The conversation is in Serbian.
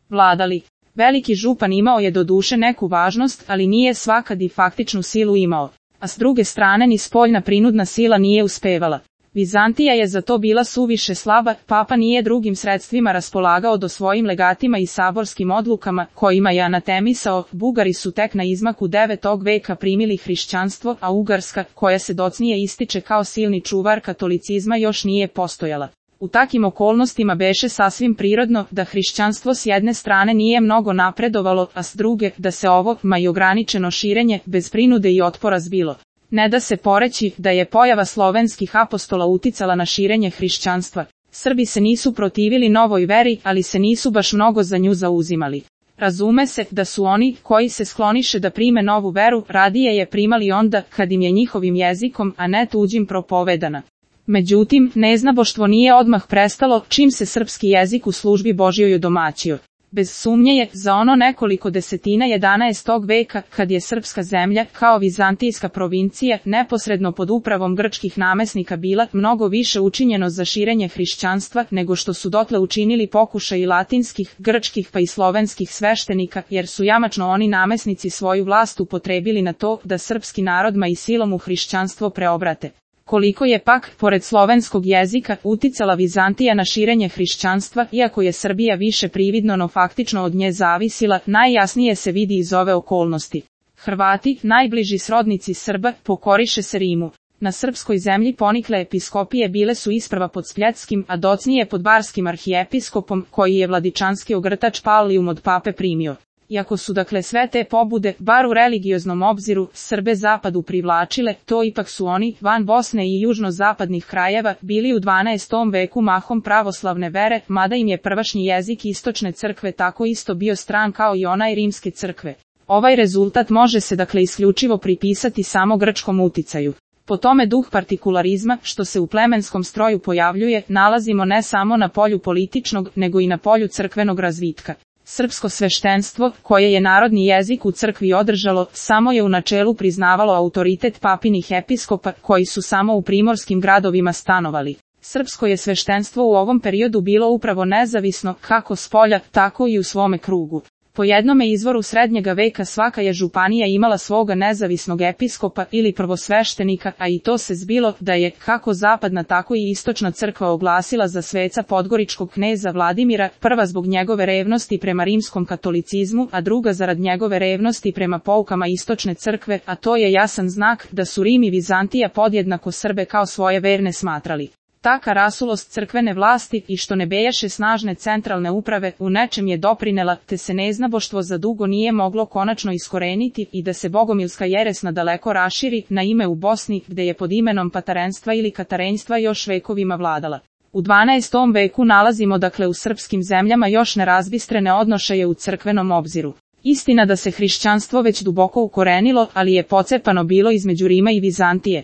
vladali. Veliki župan imao je doduše neku važnost, ali nije svakad i faktičnu silu imao, a s druge strane ni spoljna prinudna sila nije uspevala. Vizantija je za to bila suviše slaba, papa nije drugim sredstvima raspolagao do svojim legatima i saborskim odlukama, kojima je anatemisao. Bugari su tek na izmaku 9. veka primili hrišćanstvo, a Ugarska, koja se docnije ističe kao silni čuvar katolicizma, još nije postojala. U takim okolnostima beše sasvim prirodno da hrišćanstvo s jedne strane nije mnogo napredovalo, a s druge da se ovo, ma i ograničeno širenje, bez prinude i otpora zbilo. Ne da se poreći da je pojava slovenskih apostola uticala na širenje hrišćanstva. Srbi se nisu protivili novoj veri, ali se nisu baš mnogo za nju zauzimali. Razume se da su oni, koji se skloniše da prime novu veru, radije je primali onda kad im je njihovim jezikom, a ne tuđim propovedana. Međutim, neznaboštvo nije odmah prestalo, čim se srpski jezik u službi Božjoj odomaćio. Bez sumnje je, za ono nekoliko desetina 11. veka, kad je srpska zemlja, kao vizantijska provincija, neposredno pod upravom grčkih namesnika bila, mnogo više učinjeno za širenje hrišćanstva, nego što su dotle učinili pokušaji latinskih, grčkih pa i slovenskih sveštenika, jer su jamačno oni namesnici svoju vlast upotrebili na to, da srpski narod ma i silom u hrišćanstvo preobrate. Koliko je pak, pored slovenskog jezika, uticala Vizantija na širenje hrišćanstva, iako je Srbija više prividno no faktično od nje zavisila, najjasnije se vidi iz ove okolnosti. Hrvati, najbliži srodnici Srba, pokoriše se Rimu. Na srpskoj zemlji ponikle episkopije bile su isprva pod Spletskim, a docnije pod Barskim arhijepiskopom, koji je vladičanski ogrtač Pallium od pape primio. Iako su dakle sve te pobude, bar u religioznom obziru, Srbe zapadu privlačile, to ipak su oni, van Bosne i južno-zapadnih krajeva, bili u 12. veku mahom pravoslavne vere, mada im je prvašnji jezik istočne crkve tako isto bio stran kao i onaj rimske crkve. Ovaj rezultat može se dakle isključivo pripisati samo grčkom uticaju. Po tome duh partikularizma, što se u plemenskom stroju pojavljuje, nalazimo ne samo na polju političnog, nego i na polju crkvenog razvitka. Srpsko sveštenstvo, koje je narodni jezik u crkvi održalo, samo je u načelu priznavalo autoritet papinih episkopa, koji su samo u primorskim gradovima stanovali. Srpsko je sveštenstvo u ovom periodu bilo upravo nezavisno, kako spolja, tako i u svome krugu. Po jednome izvoru srednjega veka svaka je županija imala svoga nezavisnog episkopa ili prvosveštenika, a i to se zbilo da je, kako zapadna tako i istočna crkva oglasila za sveca podgoričkog kneza Vladimira, prva zbog njegove revnosti prema rimskom katolicizmu, a druga zarad njegove revnosti prema poukama istočne crkve, a to je jasan znak da su Rim i Vizantija podjednako Srbe kao svoje verne smatrali. Taka rasulost crkvene vlasti i što ne bejaše snažne centralne uprave u nečem je doprinela, te se neznaboštvo za dugo nije moglo konačno iskoreniti i da se bogomilska jeres nadaleko raširi, na ime u Bosni, gde je pod imenom patarenstva ili katarenjstva još vekovima vladala. U 12. veku nalazimo dakle u srpskim zemljama još nerazbistrene odnošaje u crkvenom obziru. Istina da se hrišćanstvo već duboko ukorenilo, ali je pocepano bilo između Rima i Vizantije.